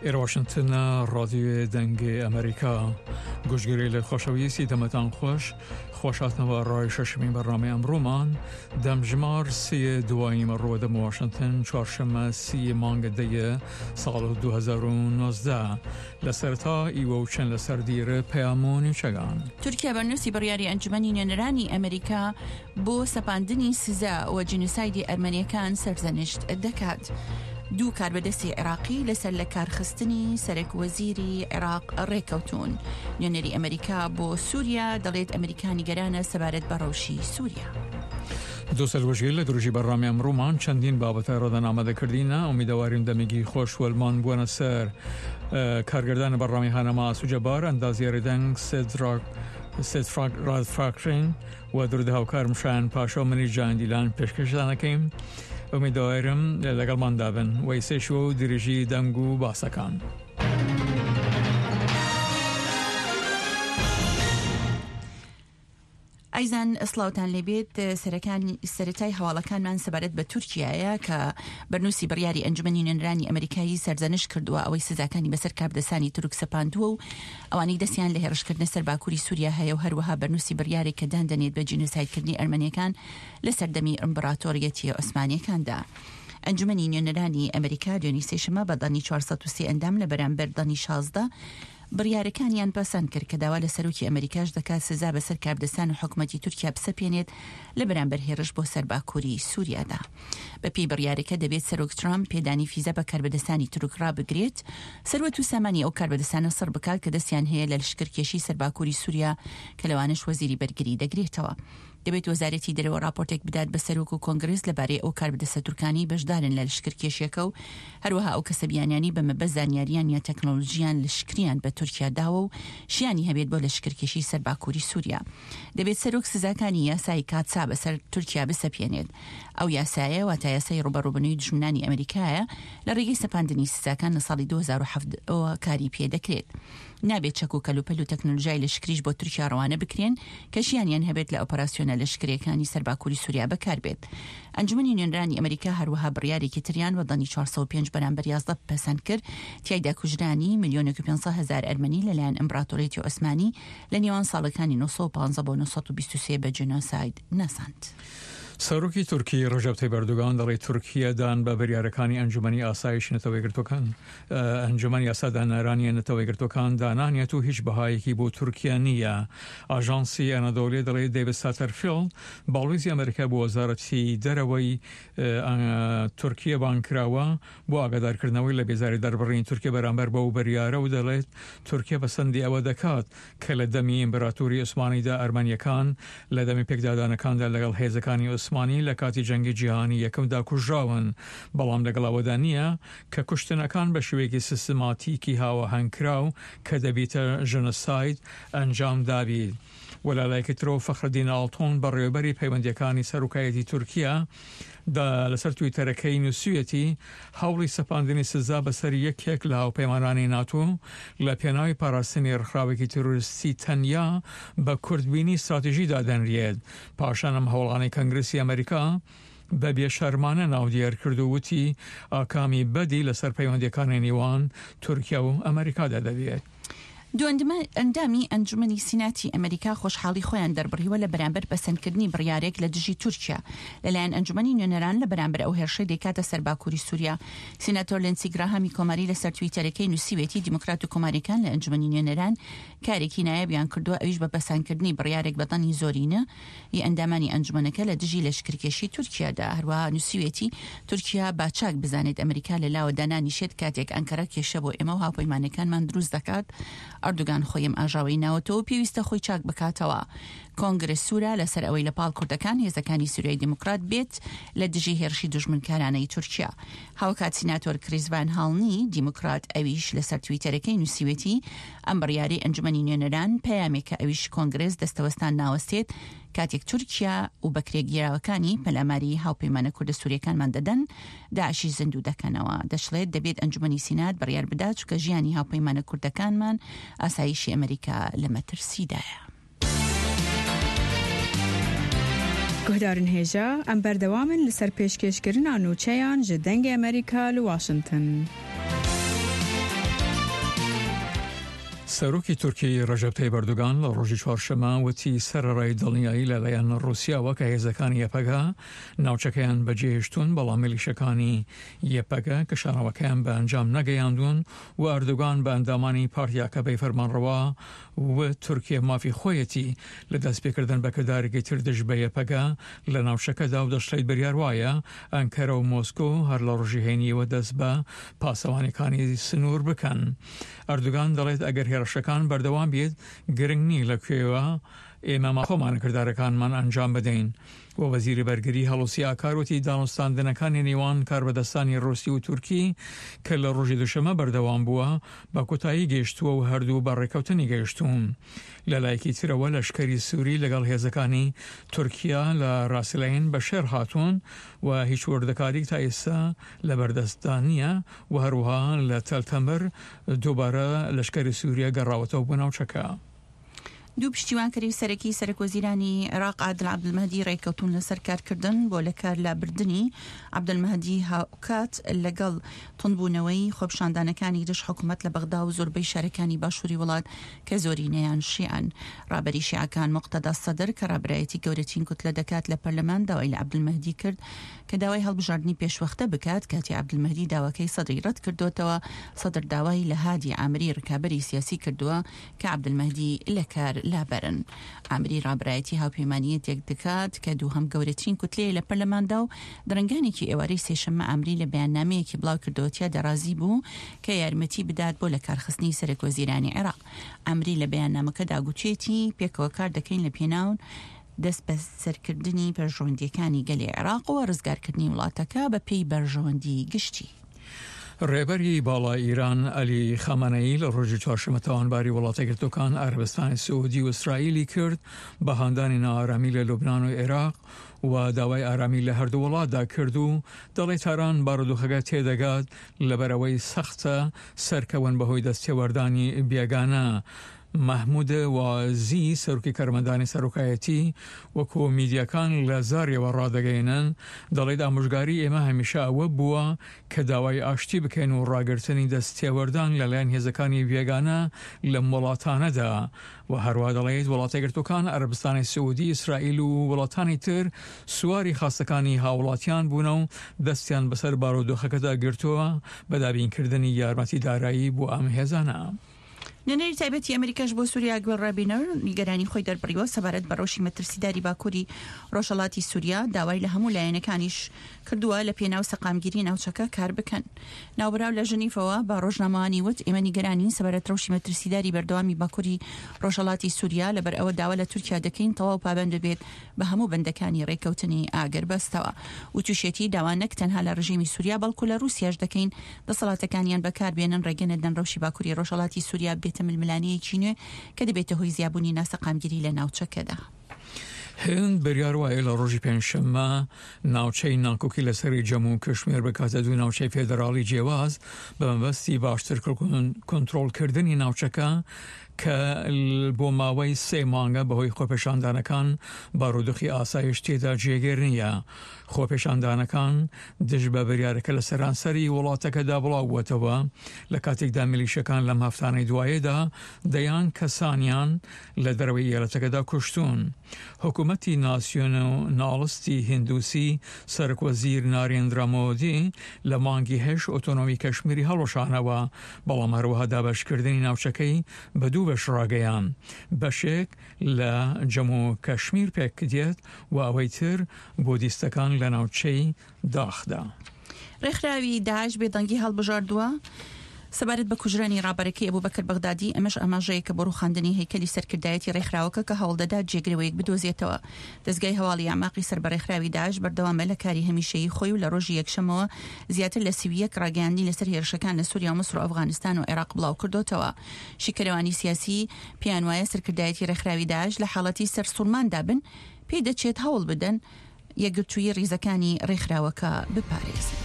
ئێرە واشنتنە ڕادیۆێ دەنگێ ئەمریکا گوشگەرێ خۆشەویستی دەمەتان خۆش خۆش هاتنەوە ڕای شەشمین بەرنامەی ئەمڕۆمان دەمژمار سێ دوای نیمەڕۆ دەم واشنتن چوارشەممە سی مانگە دەیە ساڵ 2019 لە سەرتا ئیوە و چەند لەسەر دیرە پەیام و نوچەگان. تورکیا بەرنووسی بڕیاری ئەنجومەنی نوێنەرانی ئەمریکا بۆ سەپاندنی سزا و جینۆسایدی ئەرمەنیەکان سەرزەنشت دەکات. دوو کاربەدەستی عێراقی لەسەر لەکارخستنی سەرەک وەزیری عێراق ڕێکەوتوون. نوێنەری ئەمریکا بۆ سووریا دەڵێت ئەمریکا نیگەرانە سەبارەت بە ڕەوشی سووریا. دوسەل وەژیر لە درژی بەرنامەی ئەمڕوومان چەندین بابەتە ڕەدەن ئامادە کردینە ئومیدەواریم دەمێکی خۆش وەلمان بوەنە سەر کارگردان بەرنامەی هانەما ئاسو جەبار ئەندازیاری دەنگ سێدراک سێدفراک ڕادفراکرین و درود هاوکارم شایان پاشا و منیش جان دیلان پێشکەشتان ئەکەیم ئومیدەوارم لەگەڵماندا بن و ئیسەیش و درێژی دەنگ و باسەکان. ئایزان سڵاوتان لێبێت سەرەکانی سەرەتای هەواڵەکانمان سەبارەت بە تورکیایە کە بەرنووسی بڕیاری ئەنجومەنی نوێنەرانی ئەمریکایی سەرزەنشت کردووە ئەوەی سزاکانی بەسەر کاربەدەستانی تورک سەپاندووە و ئەوانەی دەستیان لە هێڕشکردنە سەر باکووری سووریا هەیە و هەروەها بەرنووسی بڕیارێک کە دان دەنێت بە جینۆسایدکردنی ئەرمەنیەکان لە سەردەمی ئیمبراتۆریەتی عوسمانیەکاندا. ئەنجومەنی نوێنەرانی ئەمریکا دوێنی سێشەممە بە دەنگی 403 ئەندام لە بەرامبەر دەنگی 16 بڕیارەکانیان پەسەند کرد کە داوا لە سەرۆکی ئەمریکاش دەکات سزا بەسەر کاربدەستان و حکومەتی تورکیا بسەپێنێت لە بەرامبەر هێرش بۆ سەر باکووری سووریادا. بەپێی بڕیارەکە دەبێت سەرۆک ترامپ پێدانی فیزا بە کاربەدەستانی تورک ڕابگرێت، سەروەت و سامانی ئەو کاربەدەستانە سڕ بکات کە دەستیان هەیە لە لەشکرکێشی سەر باکووری سووریا کە لەوانەش وەزیری بەرگری دەگرێتەوە. دەبێت وەزارەتی دەرەوە ڕاپۆرتێک بدات بە سەرۆک و کۆنگرس لەبارەی ئەو کاربەدەستە تورکانەی بەشدارن لە لەشکرکێشیەکە و هەروەها ئەو کەسە بیانیانەی بە مەبەست زانیاریان یا تەکنۆلۆژیان لەشکریان بە تورکیا داوە و شیانی هەبێت بۆ لەشکرکێشی سەر باکووری سووریا. دەبێت سەرۆک سزاکانی یاسای کاتسا بەسەر تورکیا بسەپێنێت. ئەو یاسایە واتە یاسای ڕووبەڕووبوونەوەی دوژمنانی ئەمریکایە لە ڕێگەی سەپاندنی سزاکان لە ساڵی 2007 ەوە کاری پێدەکرێت. نابێت چەک و کەلوپەل و تەکنۆلژیای لەشکریش بۆ تورکیا ڕەوانە بکرێن کە شیانیان هەبێت لە ئۆپەراسیۆنە لەشکرییەکانی سەر باکووری سووریا بەکاربێت. ئەنجومەنی نوێنەرانی ئەمریکا هەروەها بڕیارێکی تریان بە دەنگی 405 بەرامبەر 11 پەسەند کرد، تیایدا کوژرانی ملیۆنێک و 500 هەزار ئەرمەنی لەلایەن ئیمبراتۆریەتی عوسمانی لە نێوان ساڵەکانی 915 بۆ 923 بە جینۆساید ناساند. سەرۆکی تورکی ڕەجەب تەیب ئەردۆگان دەڵێت تورکیە دان بە بریارەکانی ئەنجومەنی ئاسایشی نەتەوە یەکگرتووەکان ئەنجومەنی یاسادانەرانی نەتەوە یەکگرتووەکان دانانێت و هیچ بەهایەکی بۆ تورکیا نییە. ئاژانسی ئەنەدۆلی دەڵێت دەیڤد ساتەرفیڵد باڵوێزی ئەمریکا بۆ وەزارەتی دەرەوەی تورکیە بانگکراوە بۆ ئاگادارکردنەوەی لە بێزاری دەربڕینی تورکیە بەرامبەر بەو بریارە و دەڵێت تورکیە پەسەندی ئەوە دەکات کە لە دەمی ئیمبراتوری عوسمانیدا ئەرمەنیەکان لە دەمی پێکدادانەکاندا لەگەڵ هێزەکانی عوسمانی لە کاتی جەنگی جیهانی یەکەمدا کوژراون بەڵام لەگەڵ ئەوەدا نییە کە کوشتنەکان بە شێوەیەکی سیستماتیکی هاوئاهەنگکراو کە دەبیتە ژنۆساید ئەنجام دابیت و لە لایەکی ترەوە فەخرەدین ئاڵتون بەڕێوەبەری پەیوەندیەکانی سەرۆکایەتی تورکیا دا لەسەر تویتەرەکەی نووسیویەتی هەوڵی سەپاندنی سزا بەسەر یەکێک لە هاوپەیمانانی ناتۆ لە پێناوی پاراستنی ڕێکخراوێکی تیرۆریستی تەنیا بە کورتبینی ستراتیژی دادەنریێت پاشان ئەم هەوڵانەی کەنگرسی ئەمریکا بە بێشەرمانە ناودێر کرد و وتی ئاکامی بەدی لەسەر پەیوەندیەکانی نێوان تورکیا و ئەمریکادا دەبێت. دوو ئەندامی ئەنجومەنی سیناتی ئەمریکا خۆشحاڵی خۆیان دەربڕیوە لە بەرامبەر پەسەندکردنی بڕیارێک لە دژی تورکیا لەلایەن ئەنجومەنی نوێنەران لە بەرامبەر ئەو هێرشەی دەیکاتە سەر باکوری سوریا. سیناتۆر لینسی گراهامی کۆماری لەسەر تویتەرەکەی نووسیوێتی دیموکرات و کۆماریەکان لە ئەنجومەنی نوێنەران کارێکی نایابیان کردووە ئەویش بە پەسەندکردنی بڕیارێک بە دەنگی زۆرینە ی ئەندامانی ئەنجومەنەکە لە دژی لەشکرکێشی تورکیادا. هەروەها نووسیویەتی، تورکیا با چاک بزانێت ئەمریکا لە لاوە دانانیشێت کاتێک ئەنکەرە کێشە بۆ ئێمە و هاوپەیمانەکانمان دروست دەکات. ئەردوگان خۆی ئەم ئاژاوەی ناوەتەوە و پێویستە خۆی چاک بکاتەوە. کۆنگرس سوورە لەسەر ئەوەی لە پاڵ کوردەکان هێزەکانی سوریای دیموکرات بێت لە دژی هێرشی دوژمنکارانەی تورکیا. هاوکات سیناتۆر کریس ڤان هاڵنی دیموکرات ئەویش لەسەر تویتەرەکەی نووسیوێتی، ئەم بڕیارەی ئەنجومەنی نوێنەران پەیامێکە ئەویش کۆنگرێس دەستەوەستان ناوەستێت کاتێک تورکیا و بەکرێگیراوەکانی پەلاماری هاوپەیمانە کوردە سوریەکانمان دەدەن داعشیش زیندوو دەکەنەوە. دەشڵێت دەبێت ئەنجومەنی سینات بڕیار بدات چونکە ژیانی هاوپەیمانە کوردەکانمان ئاسایشی ئەمریکا لە مەترسیدایە. گوهدارن هێژا، ئەم بەردەوامن لەسەر پێشکێشکردنا نوچەیان ژ دەنگێ ئەمریکا لە واشنتن. سەرۆکی تورکی ڕەجەب تەیب ئەردۆگان لە ڕۆژی چوارشەممە وتی سەرەڕای دڵنیایی لەلایەن ڕووسیاوە کە هێزەکانی یەپەگە ناوچەکەیان بەجێهێشتوون، بەڵام میلیشەکانی یەپەگە کشانەوەکەیان بە ئەنجام نەگەیاندوون و ئەردۆگان بە ئەندامانی پارتی ئاکەپەی فەرمانڕەوا وت تورکیە مافی خۆیەتی لە دەستپێکردن بە کردارێکی تر دژ بە یەپەگە لە ناوچەکەدا و دەشڵێت بریار وایە ئەنکەرە و مۆسکۆ هەر لە ڕۆژی هەینییەوە دەست بە پاسەوانیەکانی سنوور بکەن. ئەردوگان دەڵێت ئەگەر هێڕشەکان بەردەوام بێت گرنگ نییە لە کوێوە ئێمە خۆمان کردارەکانمان ئەنجام بدەین. و وەزیری بەرگری هەڵوسی ئاکار وتی دانوستاندنەکانی نێوان کاربەدەستانی ڕوسی و تورکی کە لە ڕۆژی دوشەمە بەردەوام بووە بە کۆتایی گەیشتووە و هەردوو بە ڕێککەوتنی گەیشتوون. لە لایەکی ترەوە لەشکری سوری لەگەڵ هێزەکانی تورکیا لە ڕاسلەین بە شێڕ هاتوون و هیچ وردەکاریک تا ئێستا لەبەردەستدا نییە و هەروەها لە تەل تەمر دووبارە لەشکری سوریە گەڕاوەتەوە بۆ ناوچەکە. دوو پشتیوانکەری سەرەکی سەرەکوەزیرانی عێراق عادل عەبدولمەهدی رێککەوتوون لەسەر کارکردن بۆ لەکار لابردنی عەبدولمەهدی هاوکات لەگەڵ توندبوونەوەی خۆپیشاندانەکانی دژ حکومەت لە بەغدا و زۆربەی شارەکانی باشووری وڵات کە زۆرینەیان شیعەن. رابەری شیعەکان موقتەدا سەدر کە رابەرایەتی گەورەترین کوتلە دەکات لە پەرلەمان داوای لە عەبدولمەهدی کرد کە داوای هەڵبژاردنی پێشوەختە بکات، کاتی عەبدولمەهدی داواکەی سەدری رەتکردۆتەوە، سەدر داوای لە هادی عامری رکابەری سیاسی کردووە کە عەبدولمەهدی لەکار لابەرن. عامری رابەرایەتی هاوپەیمانییەتێک دەکات کە دووهەم گەورەترین کوتلەیە لە پەرلەماندا و درەنگانێکی ئێوارەی سێشەممە عامری لە بەیاننامەیەکی بڵاوکردەوە تیادا رازی بوو کە یارمەتی بدات بۆ لەکارخستنی سەرەکوەزیرانی عێراق. عامری لە بەیاننامەکەدا گوتویەتی، پێکەوە کار دەکەین لە پێناو دەستبەسەرکردنی بەرژەوەندییەکانی گەلی عێراق و ڕزگارکردنی وڵاتەکە بە پێی بەرژەوەندی گشتی. ڕێبەری باڵای ئیران عەلی خامەنەیی لە ڕۆژی چوارشەممە تاوانباری وڵاتەیەکگرتووەکان، عەرەبستانی سعودی و ئیسرائیلی کرد بە هاندانی نائارامی لە لوبنان و عێراق و داوای ئارامی لە هەردوو وڵاتدا کرد و دەڵێ تاران بارودۆخەکە تێدەگات لەبەرئەوەی سەختە سەرکەون بەهۆی دەستێوەردانی بێگانە. مەحمود وازی سەرۆکی کارمەندانی سەرۆکایەتی وەکو میدیاکان لە زاریەوە ڕادەگەیەنن دەڵێت ئامۆژگاری ئێمە هەمیشە ئەوە بووە کە داوای ئاشتی بکەین و ڕاگرتنی دەست تێوەردان لەلایەن هێزەکانی بێگانە لەم وڵاتانەدا و هەروا دەڵێت وڵاتەیەکگرتووەکان، عەرەبستانی سعودی، ئیسرائیل و وڵاتانی تر سواری خواستەکانی هاوڵاتیان بوونە و دەستیان بەسەر بارودۆخەکەدا گرتووە بە دابینکردنی یارمەتی دارایی بۆ ئەم هێزانە. نوێنەری تایبەتی ئەمریکاش بۆ سوریا گوێل ڕابینەر نیگەرانی خۆی دەربڕیوە سەبارەت بە ڕەوشی مەترسیداری باکووری ڕۆژهەڵاتی سوریا، داوای لە هەموو لایەنەکانیش کردووە لە پێناو سەقامگیری ناوچەکە کار بکەن. ناوبراو لە ژنیفەوە بە ڕۆژنامەوانی وت، ئێمە نیگەرانین سەبارەت ڕەوشی مەترسیداری بەردەوامی باکووری ڕۆژهەڵاتی سوریا، لەبەر ئەوە داوا لە تورکیا دەکەین تەواو پابەند ببێت بە هەموو بەندەکانی ڕێککەوتنی ئاگربەستەوە. وتوشیەتی، داوا نەک تەنها لە ڕژێمی سوریا بەڵکو لە ڕووسیاش دەکەین دەسەڵاتەکانیان بەکاربێنن ڕێگە نەدەن ڕەوشی باکوری ڕۆژهەڵاتی سوریا ببێتە ململانێیەکی نوێ کە دەبێتە هۆی زیابوونی ناسەقامگیری لە ناوچەکەدا. هند بڕیار وایە لە ڕۆژی پێنجشەممە ناوچەی ناکۆکی لەسەری جەمو و کشمیر بکاتە دوو ناوچەی فێدراڵی جیاواز بە مەبەستی باشتر کۆنترۆڵکردنی ناوچەکە کە بۆ ماوەی سێ مانگە بەهۆی خۆپێشاندانەکان بارودۆخی ئاسایش تێدا جێگیر نییە. خۆپێشاندانەکان دژ بە بریارەکە لە سەرانسەری وڵاتەکەدا بڵاوبووەتەوە، لە کاتێکدا میلیشەکان لەم هەفتانەی دوایەدا دەیان کەسانیان لە دەرەوەی ئیالەتەکەدا کوشتوون. حکومەتی ناسیۆناڵستی هیندوسی سەرۆکوەزیر نارێندرا مۆدی لە مانگی هەشت ئۆتۆنۆمی کەشمیری هەڵوەشانەوە، بەڵام هەروەها دابەشکردنی ناوچەکەی بە دوو بەش ڕاگەیاند، بەشێک لە جەمو کەشمیر پێکدێت و ئەوەی تر بودیستەکان لە ناوچەی داخدا. ڕێکخراوی داعش بێدەنگی هەڵبژاردووە سەبارەت بە کوژرانی ڕابەرەکەی ئەبوبەکر بەغدادی، ئەمەش ئاماژەیەکە بۆ ڕووخاندنی هەیکەلی سەرکردایەتی ڕێکخراوەکە کە هەوڵدەدات جێگرەوەیەک بدۆزێتەوە. دەزگای هەواڵی ئەعماقی سەر بە ڕێکخراوی داعش بەردەوامە لە کاری هەمیشەیی خۆی و لە ڕۆژی یەکشەممەوە زیاتر لە 31 ڕاگەیاندنی لەسەر هێرشەکان لە سوریا و میسر و ئەفغانستان و عێراق بڵاوکردۆتەوە. شیکەرەوانی سیاسی پێیان وایە سەرکردایەتی ڕێکخراوی داعش لە حاڵەتی سەرسوڕماندا بن، پێی دەچێت هەوڵ بدەن یەکگرتوویی ڕیزەکانی ڕێکخراوەکە بپارێزن.